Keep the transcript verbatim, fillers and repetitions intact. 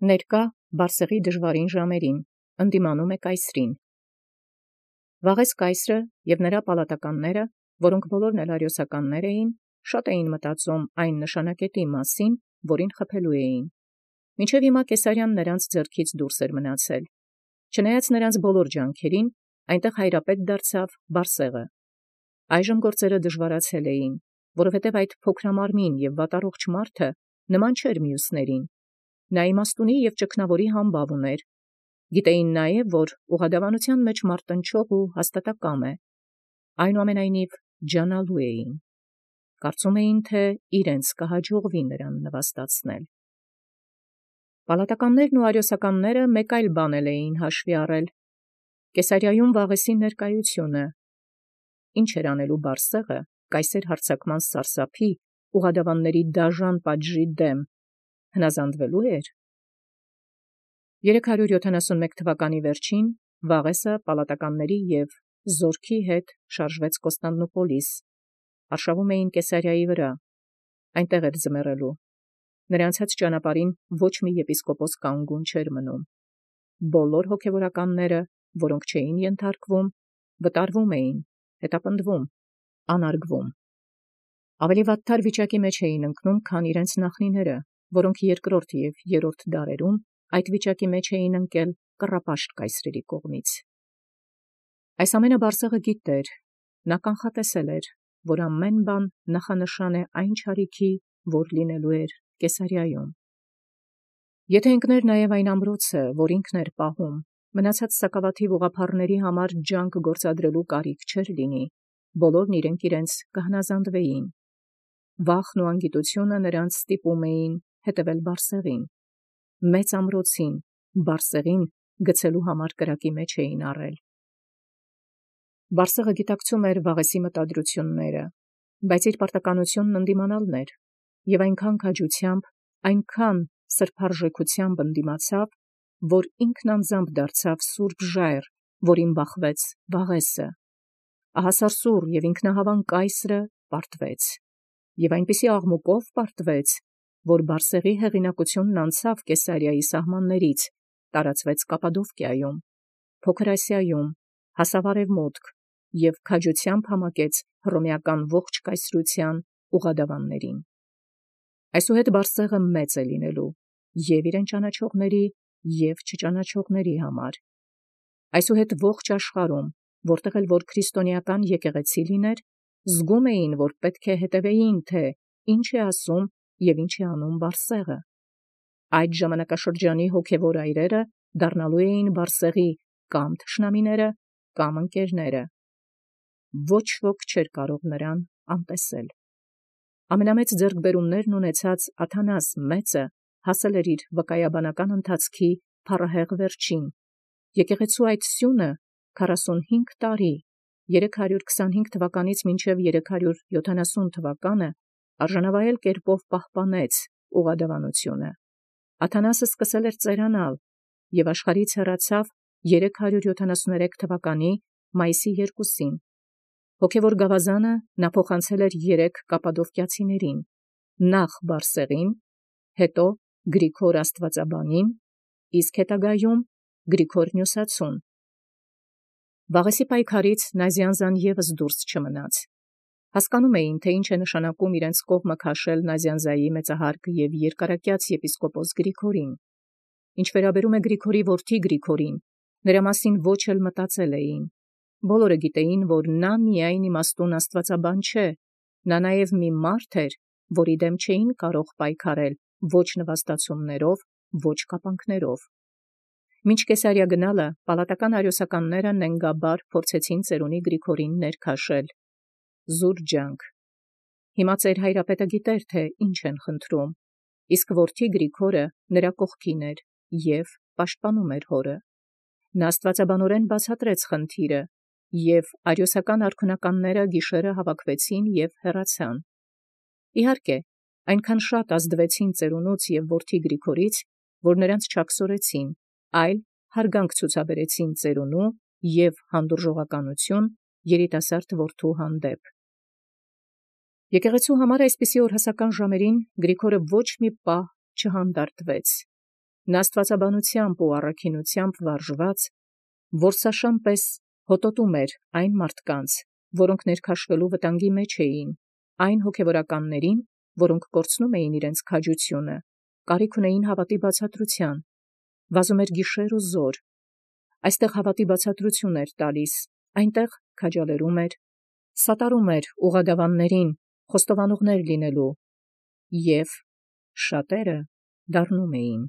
Ներկա Բարսեղի դժվարին ժամերին ընդդիմանում է կայսրին։ Վաղես կայսրը և նրա պալատականները, որոնք բոլորն էլ արիոսականներ էին, շատ էին մտածում այն նշանակետի մասին, որին խփելու էին։ Մինչև հիմա Կեսարիան նրանց ձեռքից դուրս էր մնացել։ Չնայած նրանց բոլոր ջանքերին, այնտեղ հայրապետ դարձավ Բարսեղը։ Այժմ գործերը դժվարացել էին, որովհետև այդ փոքրամարմին և վատառողջ մարդը նման չէր մյուսներին։ Նա իմաստունի և ճգնավորի համբավ ուներ։ Գիտեին նաև, որ ուղղադավանության մեջ մարտնչող ու հաստատակամ է։ Այնուամենայնիվ ջանալու էին։ Կարծում էին, թե իրենց կհաջողվի նրան նվաստացնել։ Պալատականներն ու արիոսականները մեկ այլ բան էլ էին հաշվի առել. Կեսարիայում Վաղեսի ներկայությունը։ Ինչ էր անելու Բարսեղը կայսեր հարձակման սարսափի ուղղադավանների դաժան պատժի դեմ, հնազանդվելու էր։ երեք հարյուր յոթանասունմեկ թվականի վերջին Վաղեսը պալատականների և զորքի հետ շարժվեց Կոստանդնուպոլիս, արշավում էին Կեսարիայի վրա, այնտեղ էր ձմեռելու։ Նրանց հետ ճանապարհին ոչ մի եպիսկոպոս կանգուն չէր մնում։ Բոլոր հոգևորականները, որոնք չէին ենթարկվում, վտարվում էին, հետապնդվում, անարգվում։ Ավելի վատթար վիճակի մեջ էին ընկնում, քան իրենց նախնիները, որոնք երկրորդ և երրորդ դարերում այդ վիճակի մեջ էին ընկել կռապաշտ կայսրերի կողմից։ Այս ամենը Բարսեղը գիտեր, նա կանխատեսել էր, որ ամեն բան նախանշան է այն չարիքի, որ լինելու էր Կեսարիայում։ Եթե ընկներ նաև այն ամրոցը, որ ինքն էր պահում, մնացած սակավաթիվ ուղղափառների համար ջանք գործադրելու կարիք չէր լինի, բոլորն իրենք իրենց կհնազանդվեին։ Վախն ու անգիտությունը նրանց ստիպում էին հետևել Բարսեղին։ Մեծ ամրոցին, Բարսեղին գցելու համար կրակի մեջ էին առել։ Բարսեղը գիտակցում էր Վաղեսի մտադրությունները, բայց իր պարտականությունն ընդդիմանալն էր, և այնքան քաջությամբ, այնքան սրբարժեքությամբ ընդդիմացավ, որ ինքն անձամբ դարձավ սուրբ ժայռ, որին բախվեց Վաղեսը։ Ահասարսուռ և ինքնահավան կայսրը պարտվեց, և այնպիսի աղմուկով պարտվեց, որ Բարսեղի հեղինակությունն անցավ Կեսարիայի սահմաններից, տարածվեց Կապադովկիայում, Փոքր Ասիայում, հասավ Արևմուտք և քաջությամբ համակեց հռոմեական ողջ կայսրության ուղղադավաններին։ Այսուհետ Բարսեղը մեծ է լինելու և իրեն ճանաչողների, և չճանաչողների համար։ Այսուհետ ողջ աշխարհում, որտեղ էլ որ քրիստոնեական եկեղեցի լիներ, զգում էին, որ պետք է հետևեին, թե ինչ է ասում և ինչ է անում Բարսեղը։ Այդ ժամանակաշրջանի հոգևոր այրերը դառնալու էին Բարսեղի կամ թշնամիները, կամ ընկերները։ Ոչ ոք չէր կարող նրան անտեսել։ Ամենամեծ ձեռքբերումներն ունեցած Աթանաս մեծը հասել էր իր վկայաբանական ընթացքի փառահեղ վերջին։ Եկեղեցու այդ սյունը քառասունհինգ տարի, երեք հարյուր քսանհինգ թվականից մինչև երեք հարյուր յոթանասուն թվականը արժանավայել կերպով պահպանեց ուղղադավանությունը։ Աթանասը սկսել էր ծերանալ և աշխարհից հեռացավ երեք հարյուր յոթանասուներեք թվականի մայիսի երկուսին։ Հոգևոր գավազանը նա փոխանցել էր երեք կապադովկիացիներին, նախ Բարսեղին, հետո Գրիգոր աստվածաբանին, իսկ հետագայում Գրիգոր Նյուսացուն։ Վաղեսի պայքարից Նազյանզան ևս դուրս չմնաց։ Հասկանում էին, թե ինչ է նշանակում իրենց կողմը քաշել Նազյանզայի մեծահարկ և երկարակյաց եպիսկոպոս Գրիգորին։ Ինչ վերաբերում է Գրիգորի որդի Գրիգորին, նրա մասին ոչ էլ մտածել էին։ Բոլորը գիտեին, որ նա միայն իմաստուն աստվածաբան չէ, նա նաև մի մարդ էր, որի դեմ չէին կարող պայքարել ոչ նվաստացումներով, ոչ կապանքներով։ Մինչ Կեսարիա գնալը պալատական արիոսականները նենգաբար փորձեցին ծերունի Գրիգորին ներքաշել։ Զուր ջանք։ Հիմա ծեր հայրապետը գիտեր, թե ինչ են խնդրում, իսկ որդի Գրիգորը նրա կողքին էր և պաշտպանում էր հորը։ Նա աստվածաբանորեն բացատրեց խնդիրը, և արիոսական արքունականները գիշերը հավաքվեցին և հեռացան։ Իհարկե, այնքան շատ ազդվեցին ծերունուց և որդի Գրիգորից, որ նրանց չաքսորեցին, այլ հարգանք ցուցաբերեցին ծերունու և հանդուրժողականություն երիտասարդ որդու հանդեպ։ Եկեղեցու համար այսպիսի օրհասական ժամերին Գրիգորը ոչ մի պահ չհանդարտվեց։ Աստուածաբանութեամբ ու առաքինութեամբ վարժված, որսաշան պես հոտոտում այն մարդկանց, որք ներքաշվելու վտանգի մեջ էին, այն հոգևորականացն, որք կորցնում էին իրենց քաջութիւնը, կարիք ունային հաւատի բացատրութեան, վազում գիշեր և զօր, այստեղ հաւատի բացատրութիւն տալիս, այնտեղ քաջալերում, սատարում ուղղադավանացն խոստովանողներ լինելու, և շատերը դառնում էին։